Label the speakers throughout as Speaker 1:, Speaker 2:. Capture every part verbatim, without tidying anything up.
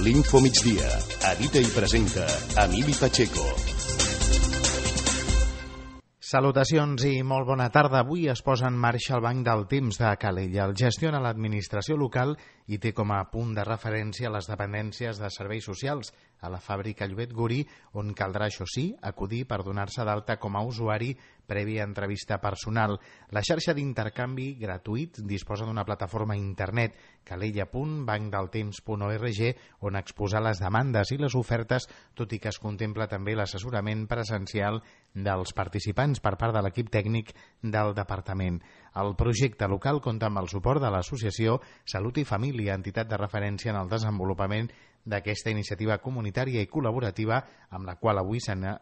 Speaker 1: L'Info Migdia. Edita i presenta Emili Pacheco.
Speaker 2: Salutacions i molt bona tarda. Avui es posa en marxa el Banc del Temps de Calella. El gestiona l'administració local i té com a punt de referència les dependències de serveis socials a la fàbrica Llobet Gurí, on caldrà, això sí, acudir per donar-se d'alta com a usuari prèvia entrevista personal. La xarxa d'intercanvi gratuït disposa d'una plataforma a internet, calella punt banc del temps punt org, on exposar les demandes i les ofertes, tot i que es contempla també l'assessorament presencial dels participants per part de l'equip tècnic del departament. El projecte local compta amb el suport de l'associació Salut i Família, entitat de referència en el desenvolupament d'aquesta iniciativa comunitària i col·laborativa amb la qual avui eh,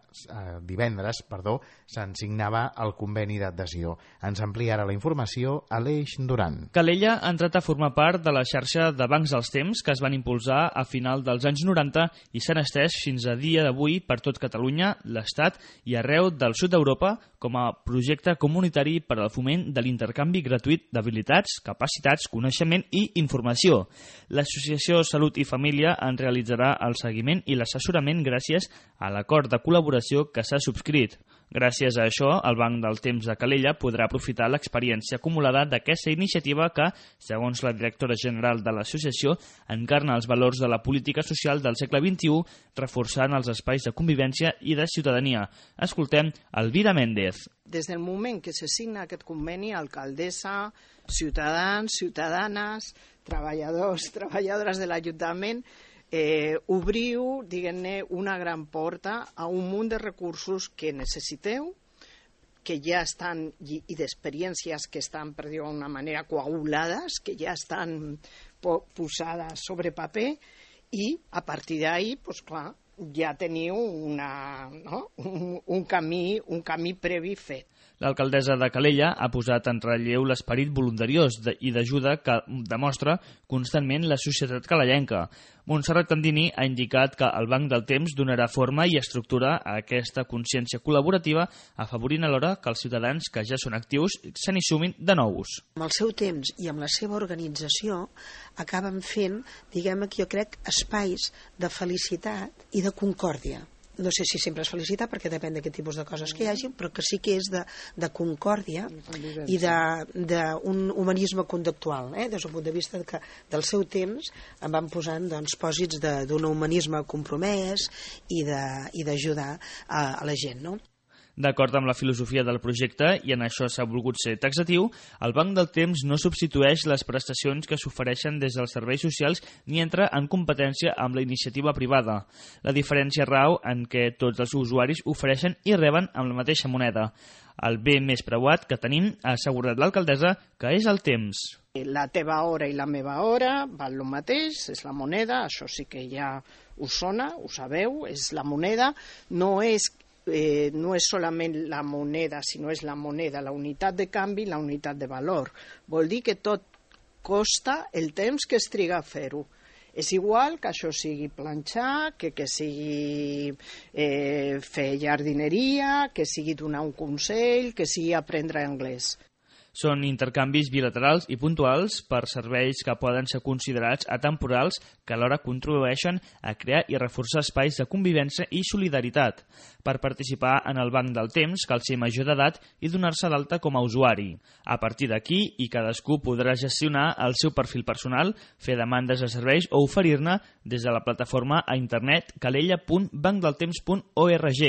Speaker 2: divendres perdó, se'n signava el conveni d'adhesió. Ens amplia ara la informació Aleix Duran.
Speaker 3: Calella ha entrat a formar part de la xarxa de bancs dels temps que es van impulsar a final dels anys noranta i s'han estès fins a dia d'avui per tot Catalunya, l'Estat i arreu del sud d'Europa com a projecte comunitari per al foment de l'intercanvi gratuït d'habilitats, capacitats, coneixement i informació. L'Associació Salut i Família en realitzarà el seguiment i l'assessorament gràcies a l'acord de col·laboració que s'ha subscrit. Gràcies a això, el Banc del Temps de Calella podrà aprofitar l'experiència acumulada d'aquesta iniciativa que, segons la directora general de l'associació, encarna els valors de la política social del segle vint-i-u, reforçant els espais de convivència i de ciutadania. Escoltem Elvira Méndez.
Speaker 4: Des del moment que se signa aquest conveni, alcaldessa, ciutadans, ciutadanes, treballadors, treballadores de l'Ajuntament, Eh, obriu, diguem-ne, una gran porta a un munt de recursos que necessiteu, que ja estan, i, i d'experiències que estan, per dir-ho d'una manera, coagulades, que ja estan po posades sobre paper, i a partir d'ahí, doncs clar, ja teniu una, no? un, un, camí, un camí previ fet.
Speaker 3: L'alcaldessa de Calella ha posat en relleu l'esperit voluntariós i d'ajuda que demostra constantment la societat calellenca. Montserrat Candini ha indicat que el Banc del Temps donarà forma i estructura a aquesta consciència col·laborativa, afavorint alhora que els ciutadans que ja són actius se n'hi sumin de nous.
Speaker 5: Amb el seu temps i amb la seva organització acaben fent, diguem que jo crec, espais de felicitat i de concòrdia. No sé si sempre és felicitat, perquè depèn de quin tipus de coses que hi hagi, però que sí que és de, de concòrdia i d'un humanisme conductual, eh? Des del punt de vista que del seu temps em van posant doncs, pòsits d'un humanisme compromès i d'ajudar a, a la gent, no?
Speaker 3: D'acord amb la filosofia del projecte, i en això s'ha volgut ser taxatiu, el Banc del Temps no substitueix les prestacions que s'ofereixen des dels serveis socials ni entra en competència amb la iniciativa privada. La diferència rau en què tots els usuaris ofereixen i reben amb la mateixa moneda. El bé més preuat que tenim, ha assegurat l'alcaldessa, que és el temps.
Speaker 4: La teva hora i la meva hora val el mateix, és la moneda, això sí que ja us sona, ho sabeu, és la moneda, no és Eh, no és solament la moneda, sinó és la moneda, la unitat de canvi, la unitat de valor. Vol dir que tot costa el temps que es triga a fer-ho. És igual que això sigui planxar, que, que sigui eh, fer jardineria, que sigui donar un consell, que sigui aprendre anglès.
Speaker 3: Són intercanvis bilaterals i puntuals per serveis que poden ser considerats atemporals que alhora contribueixen a crear i reforçar espais de convivència i solidaritat. Per participar en el Banc del Temps cal ser major d'edat i donar-se d'alta com a usuari. A partir d'aquí, i cadascú podrà gestionar el seu perfil personal, fer demandes de serveis o oferir-ne des de la plataforma a internet calella punt banc del temps punt org.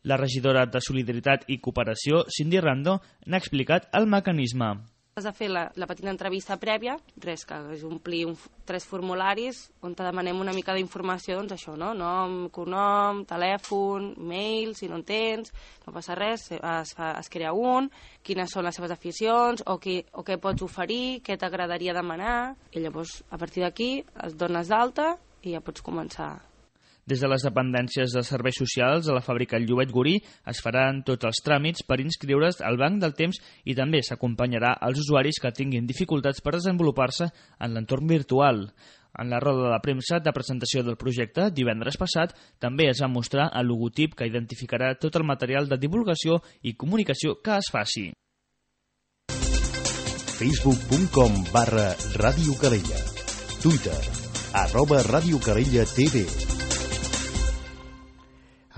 Speaker 3: La regidora de Solidaritat i Cooperació, Cindy Rando, n'ha explicat el mecanisme.
Speaker 6: Has de fer la, la petita entrevista prèvia, res, que és omplir un, tres formularis on te demanem una mica d'informació, doncs això, no? Nom, cognom, telèfon, mail, si no en tens, no passa res, es, fa, es crea un, quines són les seves aficions, o, qui, o què pots oferir, què t'agradaria demanar, i llavors a partir d'aquí es dones d'alta i ja pots començar.
Speaker 3: Des de les dependències de serveis socials a la fàbrica Llobet Gurí es faran tots els tràmits per inscriure's al Banc del Temps i també s'acompanyarà als usuaris que tinguin dificultats per desenvolupar-se en l'entorn virtual. En la roda de premsa de presentació del projecte, divendres passat, també es va mostrar el logotip que identificarà tot el material de divulgació i comunicació que es faci.
Speaker 1: facebook punt com barra Ràdio Calella. Twitter, arroba Ràdio Calella T V.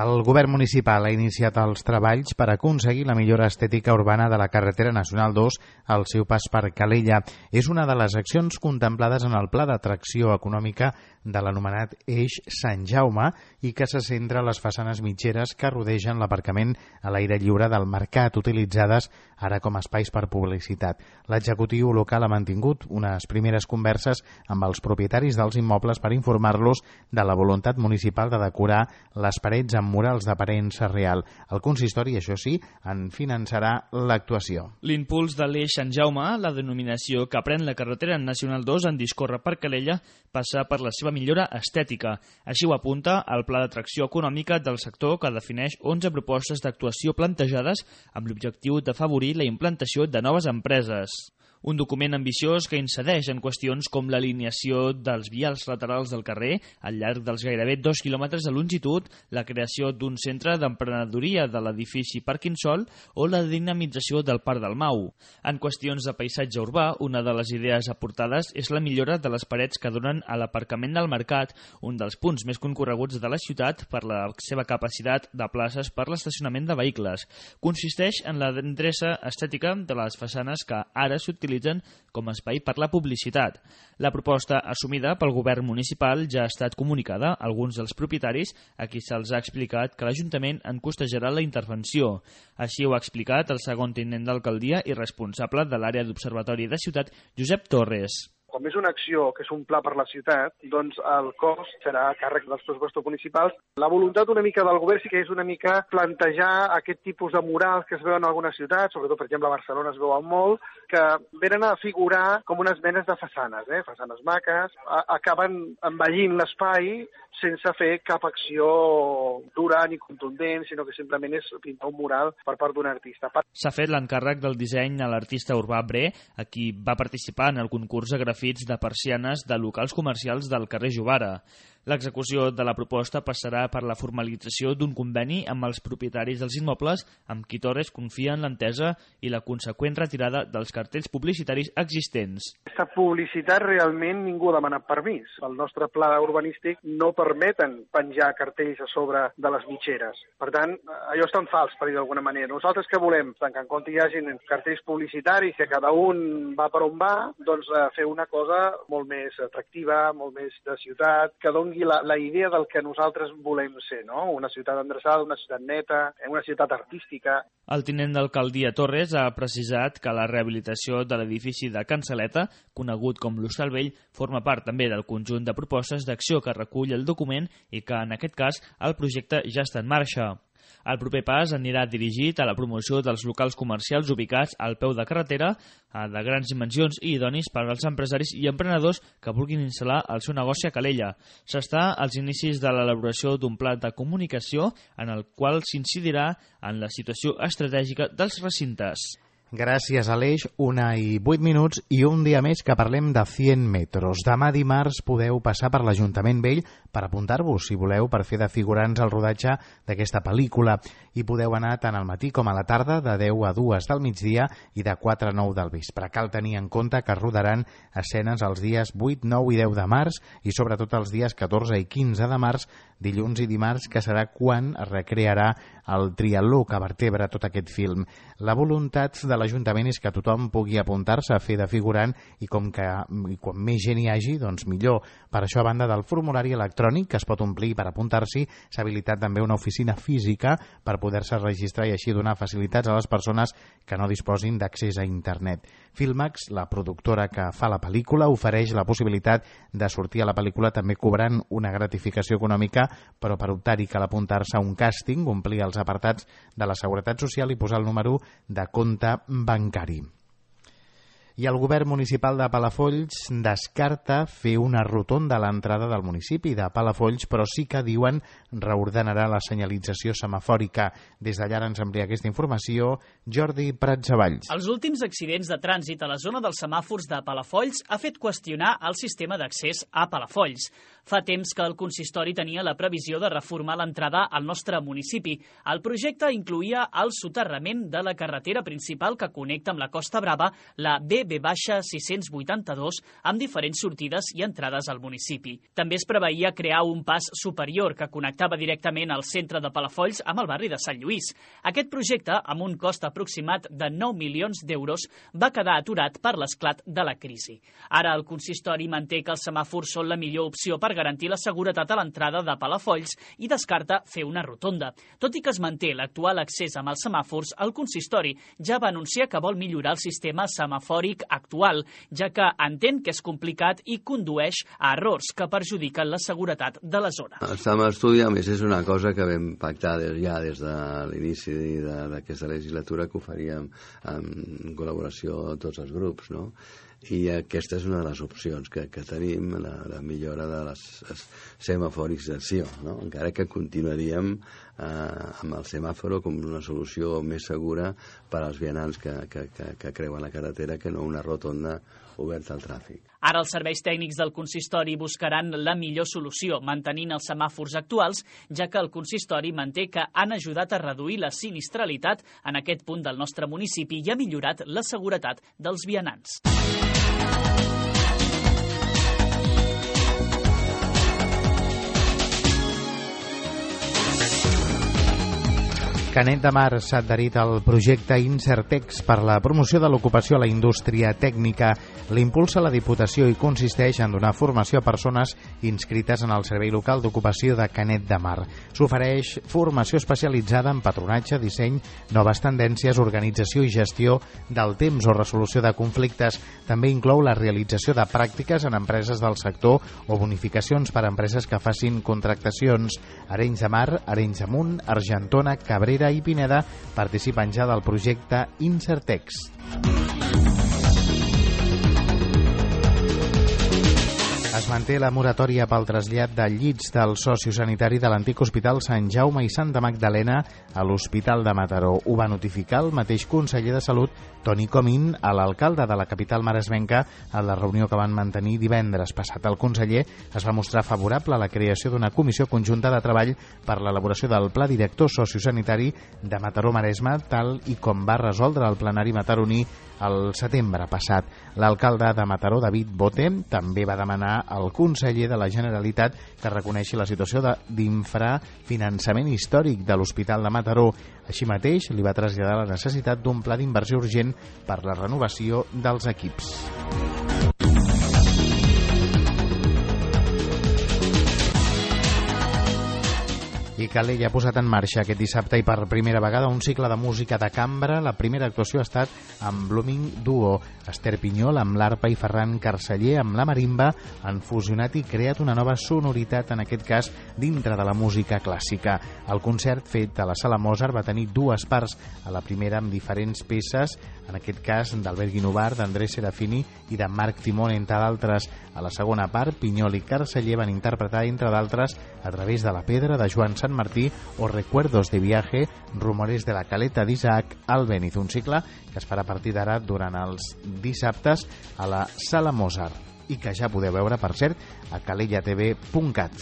Speaker 2: El govern municipal ha iniciat els treballs per aconseguir la millora estètica urbana de la carretera nacional dos al seu pas per Calella. És una de les accions contemplades en el pla d'atracció econòmica de l'anomenat Eix Sant Jaume i que se centra a les façanes mitgeres que rodegen l'aparcament a l'aire lliure del mercat, utilitzades ara com a espais per publicitat. L'executiu local ha mantingut unes primeres converses amb els propietaris dels immobles per informar-los de la voluntat municipal de decorar les parets amb murals d'aparença real. El consistori, això sí, en finançarà l'actuació.
Speaker 3: L'impuls de l'Eix Sant Jaume, la denominació que pren la carretera nacional dos en discórrer per Calella, passa per la seva millora estètica. Així ho apunta el Pla d'Atracció Econòmica del sector, que defineix onze propostes d'actuació plantejades amb l'objectiu d'afavorir la implantació de noves empreses. Un document ambiciós que incideix en qüestions com l'alineació dels vials laterals del carrer al llarg dels gairebé dos quilòmetres de longitud, la creació d'un centre d'emprenedoria de l'edifici Parquinsol o la dinamització del Parc del Mau. En qüestions de paisatge urbà, una de les idees aportades és la millora de les parets que donen a l'aparcament del mercat, un dels punts més concorreguts de la ciutat per la seva capacitat de places per l'estacionament de vehicles. Consisteix en la endreça estètica de les façanes que ara s'utilitzen com a espai per la publicitat. La proposta assumida pel govern municipal ja ha estat comunicada a alguns dels propietaris a qui se'ls ha explicat que l'Ajuntament en costejarà la intervenció. Així ho ha explicat el segon tinent d'alcaldia i responsable de l'àrea d'observatori de ciutat, Josep Torres.
Speaker 7: Com és una acció que és un pla per la ciutat, doncs el cost serà a càrrec dels pressupostos municipals. La voluntat una mica del govern sí que és una mica plantejar aquest tipus de murals que es veuen en algunes ciutats, sobretot, per exemple, a Barcelona es veuen molt, que venen a figurar com unes menes de façanes, eh? façanes maques, a acaben envellint l'espai sense fer cap acció dura ni contundent, sinó que simplement és pintar un mural per part d'un artista.
Speaker 3: S'ha fet l'encàrrec del disseny a l'artista urbà Bre, a qui va participar en el concurs de grafits de persianes de locals comercials del carrer Jovara. L'execució de la proposta passarà per la formalització d'un conveni amb els propietaris dels immobles amb qui Torres confia en l'entesa i la conseqüent retirada dels cartells publicitaris existents.
Speaker 7: Aquesta publicitat realment ningú ha demanat permís. El nostre pla urbanístic no permeten penjar cartells a sobre de les mitgeres. Per tant, allò és tan fals, per dir d'alguna manera. Nosaltres què volem? Que en compte hi hagin cartells publicitaris, que cada un va per on va, doncs fer una cosa molt més atractiva, molt més de ciutat, que doni La, la idea del que nosaltres volem ser, no? Una ciutat endreçada, una ciutat neta, una ciutat artística.
Speaker 3: El tinent d'alcaldia Torres ha precisat que la rehabilitació de l'edifici de Can Saleta, conegut com l'Hostal Vell, forma part també del conjunt de propostes d'acció que recull el document i que, en aquest cas, el projecte ja està en marxa. El proper pas anirà dirigit a la promoció dels locals comercials ubicats al peu de carretera, de grans dimensions i idonis per als empresaris i emprenedors que vulguin instal·lar el seu negoci a Calella. S'està als inicis de l'elaboració d'un pla de comunicació en el qual s'incidirà en la situació estratègica dels recintes.
Speaker 2: Gràcies, Aleix. Una i vuit minuts i un dia més que parlem de cent metros. Demà dimarts podeu passar per l'Ajuntament Vell per apuntar-vos, si voleu, per fer de figurants al rodatge d'aquesta pel·lícula. I podeu anar tant al matí com a la tarda, de deu a dues del migdia i de quatre a nou del vespre. Cal tenir en compte que rodaran escenes els dies vuit, nou i deu de març i sobretot els dies catorze i quinze de març, dilluns i dimarts, que serà quan es recrearà el triatló que vertebra tot aquest film. La voluntat de l'Ajuntament és que tothom pugui apuntar-se a fer de figurant i com que i quan més gent hi hagi, doncs millor. Per això, a banda del formulari electrònic que es pot omplir per apuntar-s'hi, s'ha habilitat també una oficina física per poder-se registrar i així donar facilitats a les persones que no disposin d'accés a internet. Filmax, la productora que fa la pel·lícula, ofereix la possibilitat de sortir a la pel·lícula també cobrant una gratificació econòmica, però per optar-hi cal apuntar-se a un càsting, omplir els apartats de la Seguretat Social i posar el número de compte bancari. I el govern municipal de Palafolls descarta fer una rotonda a l'entrada del municipi de Palafolls, però sí que diuen reordenarà la senyalització semafòrica. Des d'allà ens amplia aquesta informació Jordi Pratsavalls.
Speaker 8: Els últims accidents de trànsit a la zona dels semàfors de Palafolls ha fet qüestionar el sistema d'accés a Palafolls. Fa temps que el consistori tenia la previsió de reformar l'entrada al nostre municipi. El projecte incloïa el soterrament de la carretera principal que connecta amb la Costa Brava, la B ve sis-cents vuitanta-dos amb diferents sortides i entrades al municipi. També es preveia crear un pas superior que connectava directament el centre de Palafolls amb el barri de Sant Lluís. Aquest projecte, amb un cost aproximat de nou milions d'euros, va quedar aturat per l'esclat de la crisi. Ara el consistori manté que els semàfors són la millor opció per garantir la seguretat a l'entrada de Palafolls i descarta fer una rotonda. Tot i que es manté l'actual accés amb els semàfors, el consistori ja va anunciar que vol millorar el sistema semafòric actual, ja que entén que és complicat i condueix a errors que perjudiquen la seguretat de la zona.
Speaker 9: Estem a estudi, a més, és una cosa que vam pactar ja des de l'inici d'aquesta legislatura, que ho faríem en col·laboració amb tots els grups, no? I aquesta és una de les opcions que, que tenim, la, la millora de les semaforització, no? Encara que continuaríem eh, amb el semàforo com una solució més segura per als vianants que, que, que, que creuen la carretera, que no una rotonda oberta al tràfic.
Speaker 8: Ara els serveis tècnics del consistori buscaran la millor solució, mantenint els semàfors actuals, ja que el consistori manté que han ajudat a reduir la sinistralitat en aquest punt del nostre municipi i ha millorat la seguretat dels vianants.
Speaker 2: Canet de Mar s'ha adherit al projecte Insertex per la promoció de l'ocupació a la indústria tècnica. L'impulsa la Diputació i consisteix en donar formació a persones inscrites en el Servei Local d'Ocupació de Canet de Mar. S'ofereix formació especialitzada en patronatge, disseny, noves tendències, organització i gestió del temps o resolució de conflictes. També inclou la realització de pràctiques en empreses del sector o bonificacions per a empreses que facin contractacions. Arenys de Mar, Arenys de Munt, Argentona, Cabrera i Pineda participen ja del projecte Insertex. Es manté la moratòria pel trasllat de llits del sociosanitari de l'antic Hospital Sant Jaume i Santa Magdalena a l'Hospital de Mataró. Ho va notificar el mateix conseller de Salut, Toni Comín, a l'alcalde de la capital maresmenca en la reunió que van mantenir divendres passat. El conseller es va mostrar favorable a la creació d'una comissió conjunta de treball per l'elaboració del pla director sociosanitari de Mataró-Maresme, tal i com va resoldre el plenari mataroní el setembre passat. L'alcalde de Mataró, David Bote, també va demanar al conseller de la Generalitat que reconeixi la situació d'infrafinançament històric de l'Hospital de Mataró. Així mateix, li va traslladar la necessitat d'un pla d'inversió urgent per la renovació dels equips. I Calella ha posat en marxa aquest dissabte i per primera vegada un cicle de música de cambra. La primera actuació ha estat amb Blooming Duo. Esther Pinyol amb l'arpa i Ferran Carceller amb la marimba han fusionat i creat una nova sonoritat, en aquest cas dintre de la música clàssica. El concert fet a la Sala Mozart va tenir dues parts. A la primera amb diferents peces, en aquest cas d'Albert Guinovar, d'André Serafini i de Marc Timón, entre d'altres. A la segona part, Pinyol i Carceller van interpretar, entre d'altres, A través de la pedra, de Joan Sant Martí, o Recuerdos de viaje, Rumores de la caleta d'Isaac Albéniz, un cicle que es farà a partir d'ara durant els dissabtes a la Sala Mozart i que ja podeu veure, per cert, a calella t v punt cat.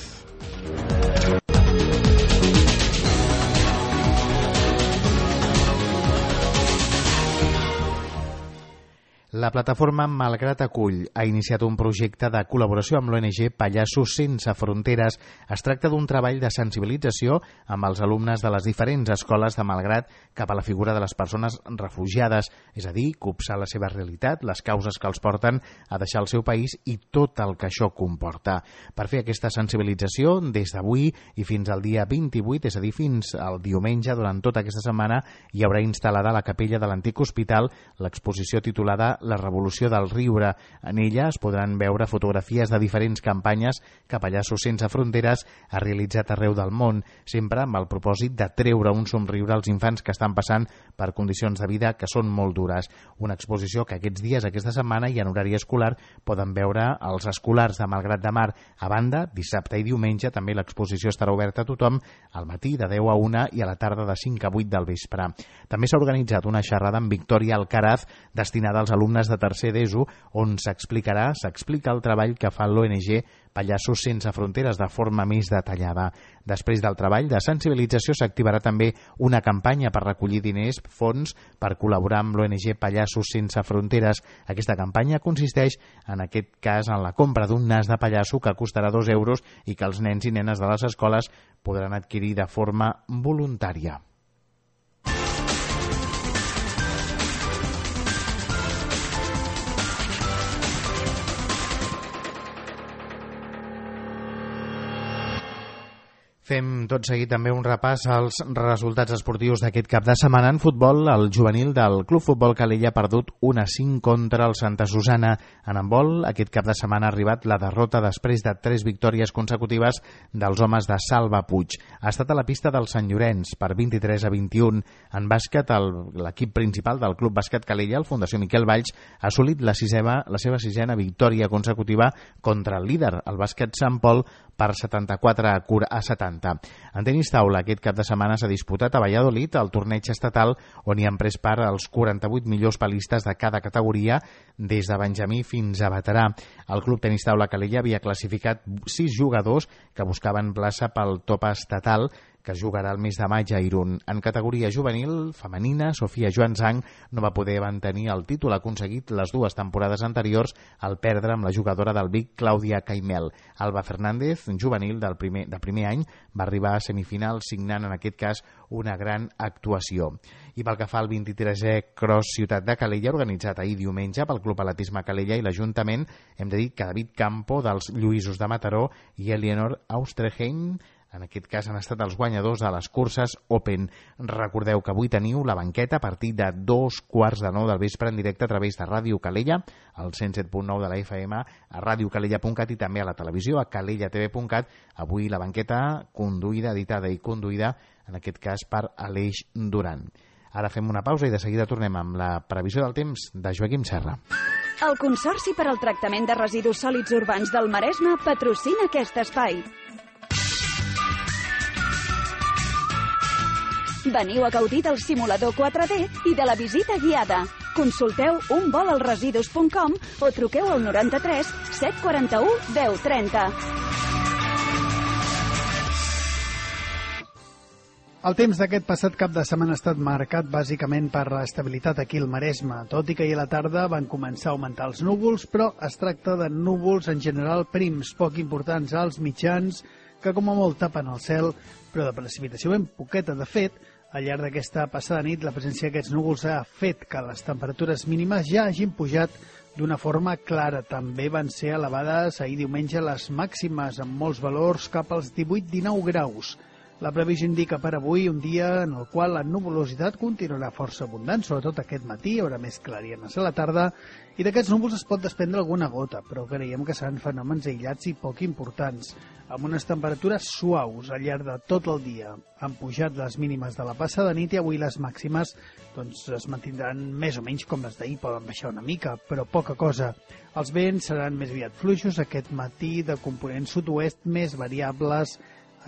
Speaker 2: La plataforma Malgrat Acull ha iniciat un projecte de col·laboració amb l'O N G Pallassos Sense Fronteres. Es tracta d'un treball de sensibilització amb els alumnes de les diferents escoles de Malgrat cap a la figura de les persones refugiades, és a dir, copsar la seva realitat, les causes que els porten a deixar el seu país i tot el que això comporta. Per fer aquesta sensibilització, des d'avui i fins al dia vint-i-vuit, és a dir, fins al diumenge, durant tota aquesta setmana, hi haurà instal·lada a la capella de l'antic hospital l'exposició titulada La revolució del riure. En ella es podran veure fotografies de diferents campanyes que Pallassos Sense Fronteres ha realitzat arreu del món, sempre amb el propòsit de treure un somriure als infants que estan passant per condicions de vida que són molt dures. Una exposició que aquests dies, aquesta setmana i en horari escolar, poden veure els escolars de Malgrat de Mar. A banda, dissabte i diumenge també l'exposició estarà oberta a tothom al matí de deu a una i a la tarda de cinc a vuit del vespre. També s'ha organitzat una xerrada amb Victòria Alcaraz destinada als alumnes alumnes de tercer d'ESO, on s'explicarà, s'explica el treball que fa l'O N G Pallassos Sense Fronteres de forma més detallada. Després del treball de sensibilització s'activarà també una campanya per recollir diners, fons, per col·laborar amb l'O N G Pallassos Sense Fronteres. Aquesta campanya consisteix, en aquest cas, en la compra d'un nas de pallasso que costarà dos euros i que els nens i nenes de les escoles podran adquirir de forma voluntària. Fem tot seguit també un repàs als resultats esportius d'aquest cap de setmana. En futbol, el juvenil del Club Futbol Calella ha perdut un a cinc contra el Santa Susana. En handbol, aquest cap de setmana ha arribat la derrota després de tres victòries consecutives dels homes de Salva Puig. Ha estat a la pista del Sant Llorenç per vint-i-tres a vint-i-un. En bàsquet, l'equip principal del Club Bàsquet Calella, el Fundació Miquel Valls, ha assolit la, sisena, la seva sisena victòria consecutiva contra el líder, el bàsquet Sant Pol, per setanta-quatre a setanta. En tenis taula, aquest cap de setmana s'ha disputat a Valladolid el torneig estatal on hi han pres part els quaranta-vuit millors palistes de cada categoria, des de benjamí fins a veterà. El Club Tenis Taula Calella havia classificat sis jugadors que buscaven plaça pel top estatal, que es jugarà el mes de maig a Irún. En categoria juvenil femenina, Sofia Joanzang no va poder mantenir el títol aconseguit les dues temporades anteriors al perdre amb la jugadora del Vic, Clàudia Caimel. Alba Fernández, juvenil del primer, de primer any, va arribar a semifinal signant en aquest cas una gran actuació. I pel que fa al vint-i-tresè Cross Ciutat de Calella, organitzat ahir diumenge pel Club Atletisme Calella i l'Ajuntament, hem de dir que David Campo dels Lluïsos de Mataró i Eleanor Austerheim, en aquest cas han estat els guanyadors de les curses Open. Recordeu que avui teniu la banqueta a partir de dos quarts de nou del vespre en directe a través de Ràdio Calella, al cent set punt nou de la F M, a radiocalella punt cat i també a la televisió, a calella t v punt cat. Avui la banqueta conduïda, editada i conduïda, en aquest cas per Aleix Duran. Ara fem una pausa i de seguida tornem amb la previsió del temps de Joaquim Serra.
Speaker 10: El Consorci per al Tractament de Residus Sòlids Urbans del Maresme patrocina aquest espai. Veniu a gaudir del simulador quatre D i de la visita guiada. Consulteu un vol al residus punt com o truqueu al noranta-tres set quaranta-u deu trenta.
Speaker 11: El temps d'aquest passat cap de setmana ha estat marcat bàsicament per l'estabilitat aquí al Maresme, tot i que ahir a la tarda van començar a augmentar els núvols, però es tracta de núvols en general prims, poc importants, alts, mitjans, que com a molt tapen el cel, però de precipitació ben poqueta. De fet, al llarg d'aquesta passada nit, la presència d'aquests núvols ha fet que les temperatures mínimes ja hagin pujat d'una forma clara. També van ser elevades ahir diumenge les màximes, amb molts valors cap als divuit dinou graus. La previsió indica per avui un dia en el qual la nuvolositat continuarà força abundant, sobretot aquest matí, hi haurà més clarianes a la tarda, i d'aquests núvols es pot desprendre alguna gota, però creiem que seran fenòmens aïllats i poc importants, amb unes temperatures suaus al llarg de tot el dia. Han pujat les mínimes de la passada nit i avui les màximes doncs, es mantindran més o menys com les d'ahir, poden baixar una mica, però poca cosa. Els vents seran més aviat fluixos aquest matí, de component sud-oest, més variables.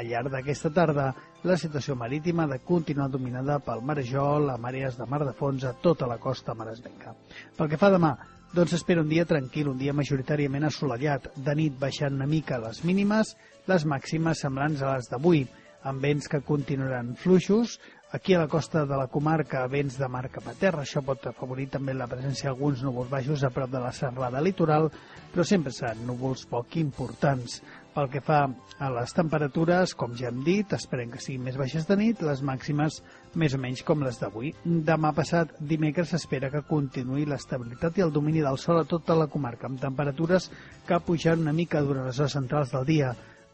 Speaker 11: Al llarg d'aquesta tarda, la situació marítima ha de continuar dominada pel marejol, a marees de mar de fons a tota la costa maresmenca. Pel que fa a demà, doncs s'espera un dia tranquil, un dia majoritàriament assolellat, de nit baixant una mica les mínimes, les màximes semblants a les d'avui, amb vents que continuaran fluixos. Aquí a la costa de la comarca, vents de mar cap a terra, això pot afavorir també la presència d'alguns núvols baixos a prop de la serralada litoral, però sempre seran núvols poc importants. Pel que fa a les temperatures, com ja hem dit, esperem que siguin més baixes de nit, les màximes més o menys com les d'avui. Demà passat, dimecres, s'espera que continuï l'estabilitat i el domini del sol a tota la comarca, amb temperatures que pujaran una mica durant les hores centrals del dia.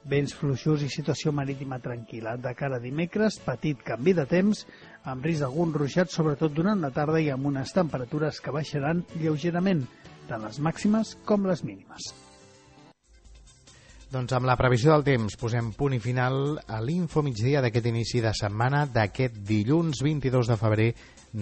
Speaker 11: Vents fluixos i situació marítima tranquil·la. De cara a dimecres, petit canvi de temps, amb risc d'algun ruixat, sobretot durant la tarda i amb unes temperatures que baixaran lleugerament, tant les màximes com les mínimes.
Speaker 2: Doncs amb la previsió del temps posem punt i final a l'Info Migdia d'aquest inici de setmana d'aquest dilluns vint-i-dos de febrer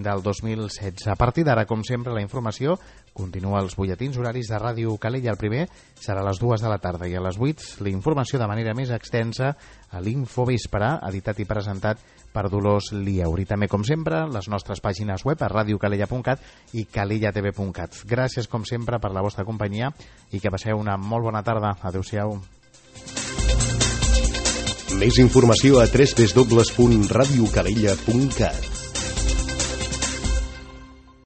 Speaker 2: del dos mil setze. A partir d'ara, com sempre, la informació continua als butlletins horaris de Ràdio Calella. El primer serà a les dues de la tarda i a les vuit la informació de manera més extensa a l'Infovespre, editat i presentat per Dolors Liaur. I també, com sempre, les nostres pàgines web a radiocalella punt cat i calellatv punt cat. Gràcies, com sempre, per la vostra companyia i que passeu una molt bona tarda. Adéu-siau.
Speaker 1: Més informació a w w w punt radiocalella punt cat.